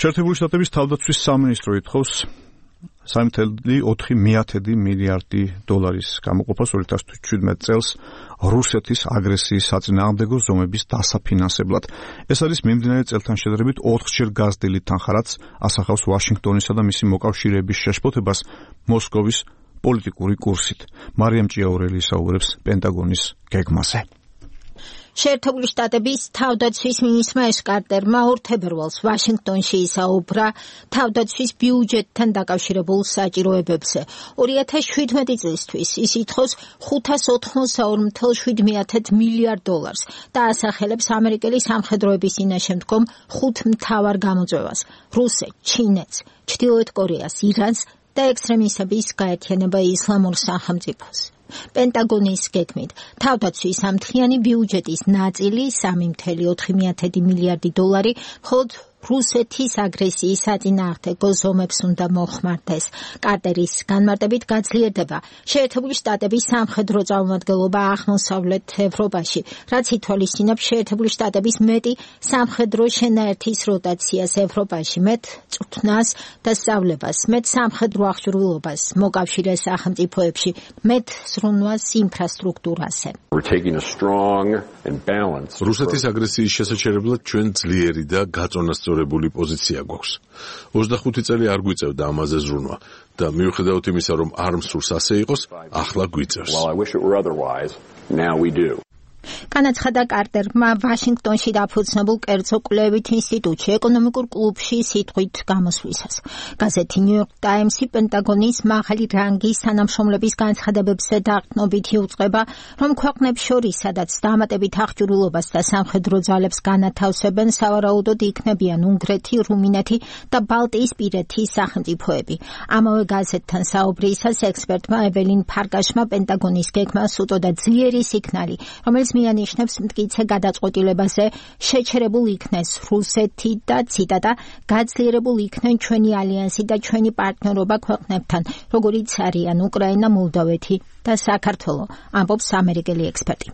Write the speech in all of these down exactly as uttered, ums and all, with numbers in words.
შეერთებული შტატების თავდაცვის სამინისტრო ითხოვს სამი წელი ოთხი მიათედი მილიარდი დოლარის გამოყოფას ორი ათას შვიდმეტ წელს რუსეთის აგრესიის საწინააღმდეგო ზომების დასაფინანსებლად. ეს არის მიმდინარე წელთან შედარებით ოთხჯერ გაზრდილი თანხა, რაც ასახავს ვაშინგტონისა და მისი მოკავშირეების შეშფოთებას მოსკოვის პოლიტიკური კურსით. მარიამ ჭიაურელი ისაუბრებს პენტაგონის გეგმაზე. შეერთებული შტატების თავდაცვის მინისტრმა ეშ კარტერმა ორ თებერვალს ვაშინგტონში ისაუბრა თავდაცვის ბიუჯეტთან დაკავშირებულ საჭიროებებზე. ორი ათას შვიდმეტი წლისთვის ის ითხოვს ხუთას ოთხმოცდაორ ათას შვიდმეათე მილიარდ დოლარს და ასახელებს ამერიკელი სამხედროების წინაშე მდგომ ხუთ მთავარ გამოწვევას: რუსეთს, ჩინეთს, ჩრდილოეთ კორეას, ირანს და ექსტრემისტების გაერთიანება ისლამურ სახელმწიფოს. პენტაგონის გეგმით თავდაცვის ამთხრიანი ბიუჯეტის ნაწილი სამი წელი ოთხი მილიარდი დოლარი მხოლოდ რუსეთის აგრესიის საწინააღმდეგო ზომებს უნდა მოხმარდეს. კარტერის განმარტებით გაძლიერდება შეერთებული შტატების სამხედრო წარმომადგენლობა აღმოსავლეთ ევროპაში, რაც ითვალისწინებს შეერთებული შტატების მეტი სამხედრო შენაერთის როტაციას ევროპაში, მეტ წვრთნას და სწავლებას, მეტ სამხედრო აღჭურვილობას მოკავშირე სახელმწიფოებში, მეტ ზრუნვას ინფრასტრუქტურაზე. რუსეთის აგრესიის შესაჩერებლად ჩვენ ძლიერი და გაწონასწორებული პოზიცია გვაქვს. ოცდახუთი წელი არ გვიწევდა ამაზე ზრუნვა და მიუხედავად იმისა, რომ არ მსურს ასე იყოს, ახლა გვიწევს. განაცხადა კარტერმა ვაშინგტონში დაფუძნებულ კერძო კვლევით ინსტიტუტში ეკონომიკურ კლუბში სიტყვით გამოსვლისას. გაზეთი ნიუ-იორკ ტაიმსი პენტაგონის მაღალი რანგის თანამშრომლების განცხადებებზე დაყრდნობით იუწყება, რომ ქვეყნებს შორის, სადაც დამატებით აღჭურვილობას და სამხედრო ძალებს განათავსებენ, სავარაუდოდ იქნებიან უნგრეთი, რუმინეთი და ბალტიისპირეთის სახელმწიფოები. ამავე გაზეთთან საუბრისას ექსპერტმა ეველინ ფარგაშმა პენტაგონის გეგმას უტოდა ძლიერი სიგნალი, რომელიც მიანიშნებს მტკიცე გადაწყვეტილებაზე შეჩერებულ იქნეს რუსეთი და ციტატა გაძლიერებულ იქნენ ჩვენი ალიანსი და ჩვენი პარტნიორობა ქვეყნებთან, როგორიც არიან უკრაინა, მოლდოვეთი და საქართველო, ამბობს ამერიკელი ექსპერტი.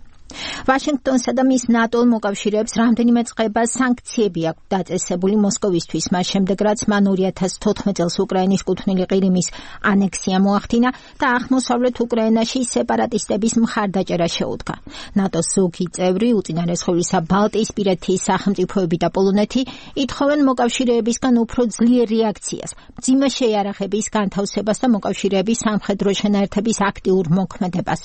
ვაშინგტონსა და მის ნატო მოკავშირეებს რამდენიმე წყება სანქციები აქვს დაწესებული მოსკოვისთვის, მას შემდეგ რაც მან ორი ათას თოთხმეტ წელს უკრაინის კუთვნილი ყირიმის ანექსია მოახდინა და აღმოსავლეთ უკრაინაში სეპარატისტების მხარდაჭერა შეუდგა. ნატოს ზოგი წევრი, უწინარესხოვლისა ბალტიისპირეთის სახელმწიფოები და პოლონეთი ითხოვენ მოკავშირეებისგან უფრო ძლიერ რეაქციას, მძიმე შეიარაღების განთავსებას და მოკავშირეების სამხედრო შენაერთების აქტიურ მოქმედებას.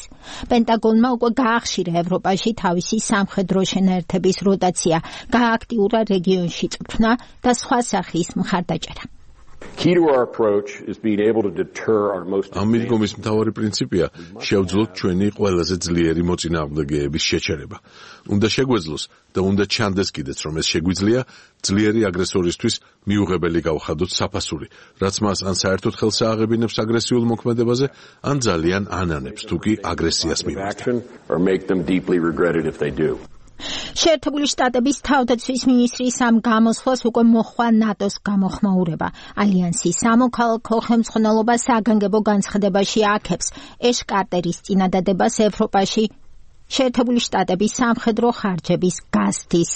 პენტაგონმა უკვე გაახშირა ევროპაში თავისი სამხედრო შენაერთების როტაცია, გააქტიურა რეგიონში წვრთნა და სხვა სახის მხარდაჭერა. ამ მიდგომის მთავარი პრინციპია შევძლოთ ჩვენი ყველაზე ძლიერი მოწინააღმდეგეების შეჩერება. უნდა შეგვეძლოს და უნდა ჩანდეს კიდეც, რომ ეს შეგვიძლია ძლიერი აგრესორისთვის მიუღებელი გავხადოთ საფასური, რაც მას ან საერთოდ ხელს ააღებინებს აგრესიულ მოქმედებაზე, ან ძალიან ანანებს თუ კი აგრესიას მივაგდებს. შეერთებული შტატების თავდაცვის მინისტრის ამ გამოსვლას უკვე მოხვა ნატოს გამოხმაურება. ალიანსის სამოქალაქო ხელმძღვანელობა საგანგებო განცხადებაში აქებს ეშ კარტერის წინადადებას ევროპაში შეერთებული შტატების სამხედრო ხარჯების გაზრდის